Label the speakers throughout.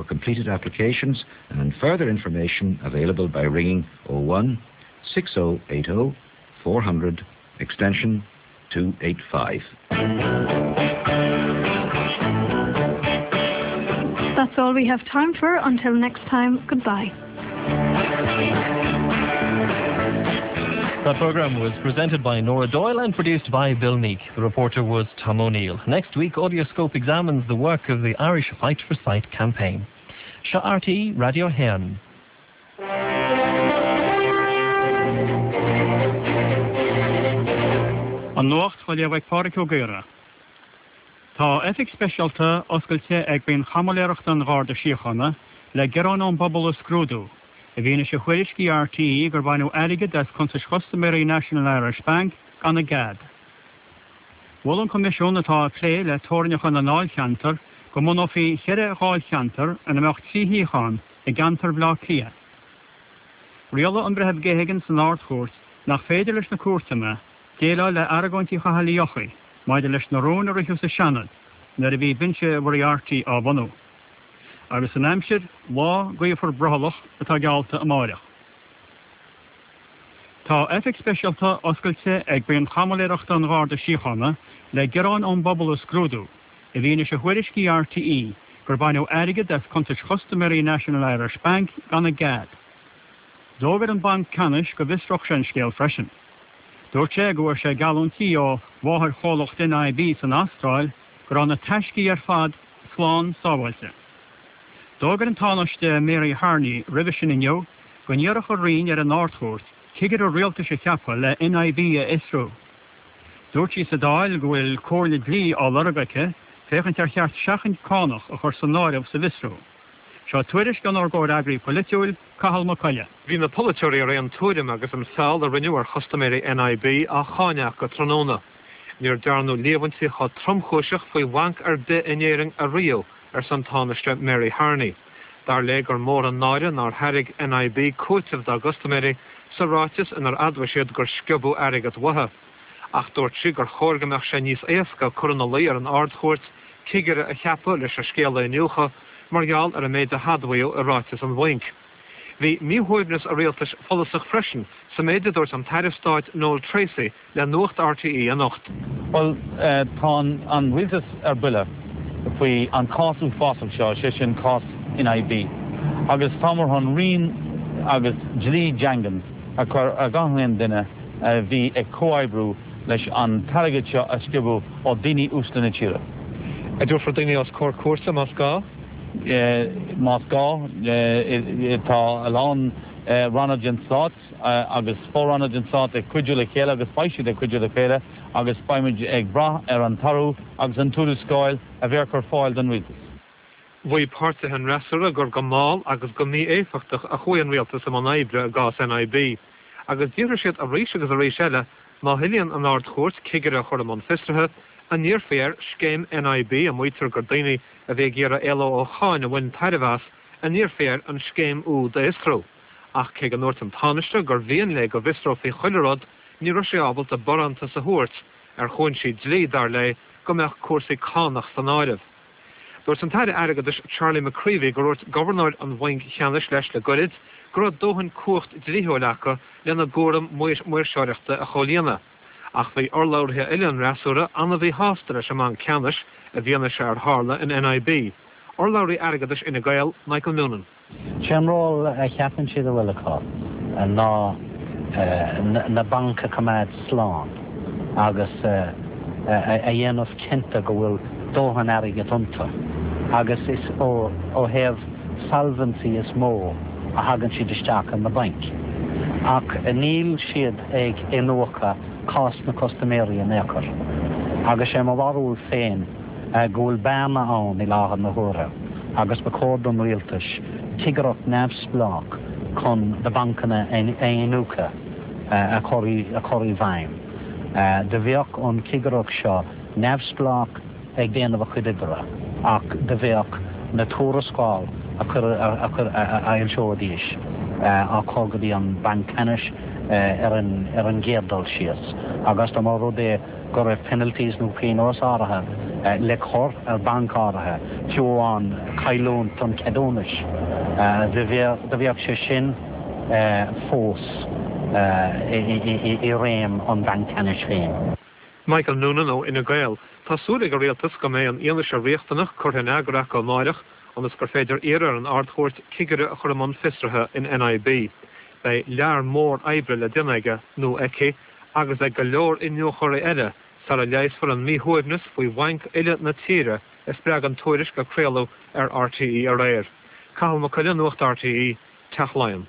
Speaker 1: completed applications and further information available by ringing 01 6080 400 extension 285.
Speaker 2: That's all we have time for until next time goodbye.
Speaker 3: That programme was presented by Nora Doyle and produced by Bill Meek. The reporter was Tom O'Neill. Next week, Audioscope examines the work of the Irish Fight for Sight campaign. Seo RTÉ Raidió 1.
Speaker 4: An Nuacht á léamh ag Pádhraic Ó Gaora. Tá oifig speisialta oscailte ag Buíon Chaimiléireachta an Gharda Síochána le gearáin ón bpobal a scrúdú, i bhfianaise thuairiscí RTÉ gur baineadh airgead as cuntais chustaiméirí National Irish Bank gan a gcead. Mhol an Coimisiún atá ag plé le teorainneacha na ndáilcheantar go mbunófaí cheithre dháilcheantar ina mbeadh 3 shuíochán i gceantar Bhaile Átha Cliath. Rialaigh an Breitheamh Geoghegan san Ard-Chúirt nach féidir leis na cúirteanna déileáil le argóintí Chathail Uí Eochaidh maidir leis na rúin a ritheadh sa Seanad nuair a bhí Binse Mhoriarty á bhunú. Agus an aimsir, lá gaofar brothallach atá geallta amáireach. Tá oifig speisialta oscailte ag Buíon Chaimiléireachta an Gharda Síochána le gearáin ón bpobal a scrúdú, i bhfianaise thuairiscí RTÉ gur baineadh airgead as cuntais chustaiméirí National Irish Bank gan a gcead. D'fhógair an Banc Ceannais go bhfiosródh sé an scéal freisin. Dúirt sé go bhfuair sé geallúintí ó mháthairchomhlacht NIB san Astráil go raibh na taiscí ar fad slán sábháilte. D'fhógair an Tánaiste Mary Harney roimhe sin inniu go n-iarrfadh a roinn ar an Ard-Chúirt cigire rialtais a cheapadh le NIB a fhiosrú. Dúirt sí sa Dáil go bhfuil comhairle dlí á lorg aici féachaint ar cheart seachaint cánach a chur san áireamh sa bhfiosrú. Seo tuairisc ónár gcomhfhreagraí polaitiúil, Cathal Mac Coille.
Speaker 5: Bhí na polaiteoirí ar aon tuairim agus an feall a rinneadh ar chustaiméirí NIB á cháineadh acu tráthnóna. Níor dearnadh líomhaintí chomh tromchúiseach faoi bhanc ar bith in Éirinn ariamh, arsa an Tánaiste Mary Harney. Dar léi gur mór an náire nár thairg NIB cúiteamh dá gcustaiméirí sa ráiteas inar admhaigh siad gur sciobadh airgead uathu. Ach dúirt sí gur chóir go mbeadh sé níos éasca cur ina luí ar an Ard-Chúirt cigire a cheapadh leis an scéal a iniúchadh mar gheall ar an méid a hadmhaíodh i ráiteas an bhainc. Bhí míshuaimhneas an rialtais follasach freisin sa méid a dúirt an tAire Stáit Noel Treacy le Nuacht RTÉ anocht.
Speaker 6: Bhuel, tá an rialtas ar buile faoi an cás uafásach seo, sé sin cás NIB, agus táimid chun rian agus dlí daingean a chur ar gach aon duine a bhí ag comhoibriú leis an t-airgead seo a sciobadh ó daoine uaisle na tíre.
Speaker 5: An dtabharfar daoine os comhair cúirte más gá?
Speaker 6: Más gá. Tá a lán ranna den stát agus fo-ranna den stát ag cuidiú le chéile agus beidh siad ag cuidiú le chéile agus beimid ag brath ar an toradh agus an tuarascáil a bheadh ar fáil don rialtas.
Speaker 5: Mhaígh páirtithe an fhreasúra gur go mall agus go mí-éifeachtach a chuaigh an rialtas i mbun oibre i gcás NIB, agus d'fhiafraigh siad arís agus arís eile má thoilíonn an Ard-Chúirt cigire a chur i mbun fiosraithe, an n-iarrfaí air scéim NIB, a maítear gur daoine a bhí ag iarraidh éaló ó cháin a bhain tairbhe as, an n-iarrfaí air an scéim úd a fhiosrú. Ach cé go ndúirt an Tánaiste gur mhian léi go bhfiosrófaí chuile rud, ní raibh sí ábalta barántas a thabhairt, ar chúinsí dlí, dar léi, go mbeadh cúrsaí cánach san áireamh. Dúirt an tAire Airgeadais Charlie McCreevy gur dhúirt Gobharnóir an Bhainc Cheannais leis le goirid go raibh dóthain cumhacht dlíthiúil acu lena gcúram maoirseoireachta a chomhlíonadh. Ach bhí urlabhraithe eile an fhreasúra an-mhíshásta leis an mBanc Ceannais i bhfianaise ar tharla in NIB. Urlabhraí Airgeadais Fhine Gael, Michael Noonan.
Speaker 7: Sé an ról a cheapann siad a bhfuil acu ná na bainc a choimeád slán agus a dhéanamh cinnte go bhfuil dóthain airgid iontu agus is ó thaobh solvency is mó a thagann siad isteach ar na bainc. Ach níl siad ag iniúchadh cás na custaiméirí in aon chor. Agus sé mo bharúil féin go bhfuil bearna ann i láthair na huaire agus ba chóir don rialtas cigireacht neamhspleách chun na bancanna a iniúchadh a chur i bhfeidhm. Do bheadh an chigireacht seo neamhspleách ag déanamh a chuid oibre ach do bheadh na tuarascáil a fhoilseoidís á cur go dtí an Banc Ceannais. ar an gcéad dul síos agus dá mba rud é go raibh penalties nó pionós áirithe le cur ar banc áirithe, fiú amháin cailliúint an cheadúnais, do bheadh sé sin fós i réim an Bhainc Ceannais féin.
Speaker 5: Michael Noonan ó Fhine Gael. Tá súil ag an Rialtas go mbeidh an fhianaise riachtanach curtha in eagar acu amáireach ionas gur féidir iarraidh ar an Ard-Chúirt cigire a chur i mbun fiosraithe in NIB. Beidh lear mór oibre le déanamh aige nó aici agus ag go leor iniúchóirí eile sara leigheasfar an míshuaimhneas faoi bhainc uile na tíre a spreag an tuairisc a craoladh ar RTÉ aréir. Cathal Mac Coille, Nuacht RTÉ, Teach Laighean.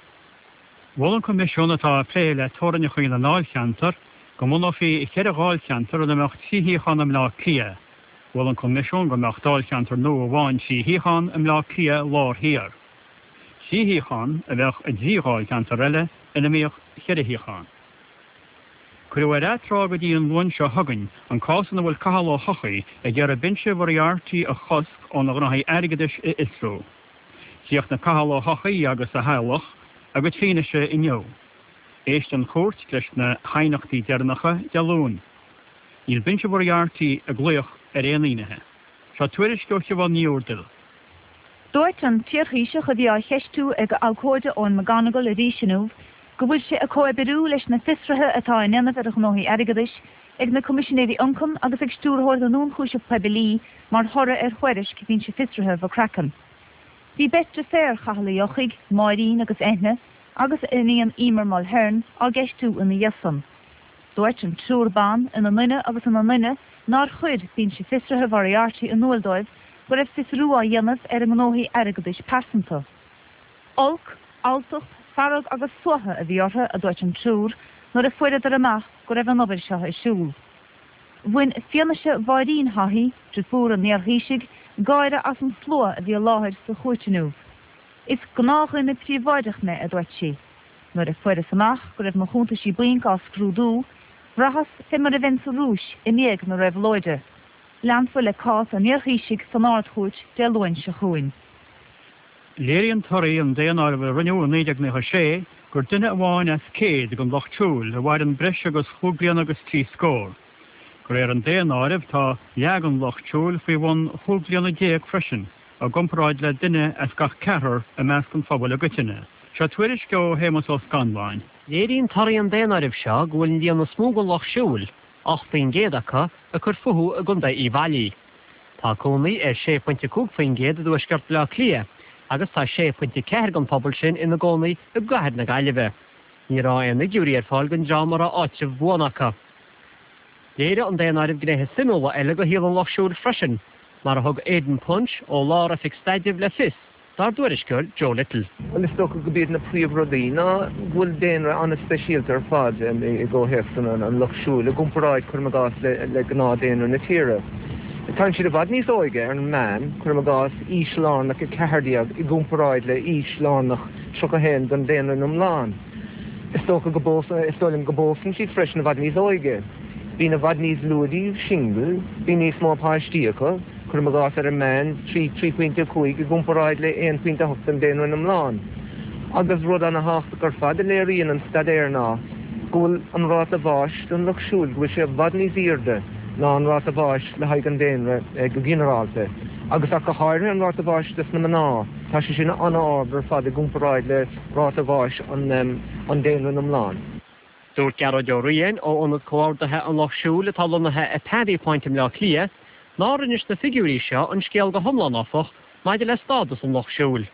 Speaker 4: Mhol an Coimisiún atá ag plé le teorainneacha na ndáilcheantar go mbunófaí cheithre dháilcheantar ina mbeadh 3 shuíochán i mBleá Cliath. Mhol an Coimisiún go mbeadh dáilcheantar nua amháin 3 shuíochán i mBleá Cliath Lár Thiar. 3 shuíochán a bheadh i dtrí dháilcheantar eile ina mbeadh cheithre shuíochán. Cuireadh ar atráth go dtí an Luan seo chugainn an cás ina bhfuil Cathal Ó hEochaidh ag iarraidh Binse Mhoriarty a chosc óna ghnóthaí airgeadais a fhiosrú. Chríochnaigh Cathal Ó hEochaidh agus a theaghlach a gcuid fianaise inniu. Éistfidh an chúirt leis na haighneachtaí deireanacha Dé Luain. Níl Binse Mhoriarty ag glaoch ar aon fhinnéithe. Seo tuairisc ó Shiobhán Ní Úrdail.
Speaker 8: Dúirt an t-iarThaoiseach a bhí á cheistiú ag a abhcóide Eoin McGonigal arís inniu go bhfuil sé ag comhoibriú leis na fiosruithe atá á ndéanamh ar a ghnóthaí airgeadais ag na Coimisinéirí Ioncaim agus ag Stiúrthóir na nIonchúiseamh Poiblí mar thoradh ar thuairisc Bhinse Fiosraithe McCracken. Bhí beirt deirféar Chathail Uí Eochaidh, Máirín agus Eithne, agus a iníon Emer Mulhern á gceistiú ina dhiaidh san. Dúirt an triúr ban ina nduine agus ina nduine nár chuir Binse Fiosraithe Mhoriarty in iúl dóibh go raibh fiosrú á dhéanamh ar a ngnóthaí airgeadais pearsanta. Olc, alltacht, fearg agus suaitheadh a bhí orthu, a dúirt an triúr, nuair a fuaireadar amach go raibh an obair seo ar siúl. Bhain fianaise Mháirín Haughey, driofúr an iarThaoisigh, gáire as an slua a bhí i láthair sa chúirt inniu. Is gnáthdhuine príobháideach mé, a dúirt sí. Nuair a fuaireas amach go raibh mo chuntaisí bainc á scrúdú, bhraitheas fé mar a bheinn sa Rúis i ndiaidh na réabhlóide. Leanfar le cás an iarThaoisigh san Ard-Chúirt Dé Luain seo chugainn.
Speaker 4: Léiríonn torthaí an daonáirimh a rinneadh i 1996 gur duine amháin as 100 den lucht siúil a mhaireann breis agus chúig bliana agus trí scór. De réir an daonáirimh tá leath den lucht siúil faoi bhun chúig bliana déag freisin, i gcomparáid le duine as gach ceathrar i measc an phobail i gcoitinne. Seo tuairisc ó Shéamus Ó Scanláin.
Speaker 3: Léiríonn torthaí an daonáirimh seo go bhfuil an líon is mó den lucht siúil, 8% acu, ag cur fúthu i gContae Uíbh Fhailí. Tá cónaí ar 6.5% i dtuaisceart Bhaile Átha Cliath agus tá 6.4 den phobal sin ina gcónaí i gcathair na Gaillimhe. Ní raibh aon fhigiúirí ar fáil don dream a raibh áitreabh buan acu. Léirigh an daonáireamh gnéithe suimiúla eile de shaol an Lucht Siúil freisin, mar a thug Aidan Punch ó Lár-Oifig Staidrimh le fios dár dtuairisceoir Joe Little.
Speaker 9: Bhuel, is dócha go b'iad na príomhrudaí ná go bhfuil daonra an-speisialta ar fad i gcomhthéacs an lucht siúil i gcomparáid, cuirim i gcás, le gnáth-daonra na tíre. Tá siad i bhfad níos óige ar an meán, cuirim i gcás, aois lárnach 14 i gcomparáid le aois lárnach 31 don daonra iomlán. Is dócha go bpósann, is dóigh liom go bpósann siad freisin i bhfad níos óige. Bíonn i bhfad níos lú díobh singil, bíonn níos mó páistí acu. Cuirim i gcás, ar an meán, 3, 3.5 i gcomparáid le 1.8 don daonra iomlán. Agus rud ana-thábhachtach ar fad a léiríonn an staidéar ná go bhfuil an ráta bháis don lucht siúil, go bhfuil sé i bhfad níos airde ná an ráta bháis le haghaidh an daonra go ginearálta, agus ach go háirithe an ráta bháis dos na mná, tá sé sin an-ard ar fad i gcomparáid le ráta bháis an daonra iomlán.
Speaker 3: Dúirt Gearóid Ó Riain ó Ionad Comhordaithe an Lucht Siúil atá lonnaithe i Pavee Point i mBleá Cliath nár inis na figiúirí seo an scéal go hiomlán áfach maidir le stádas an Lucht Siúil.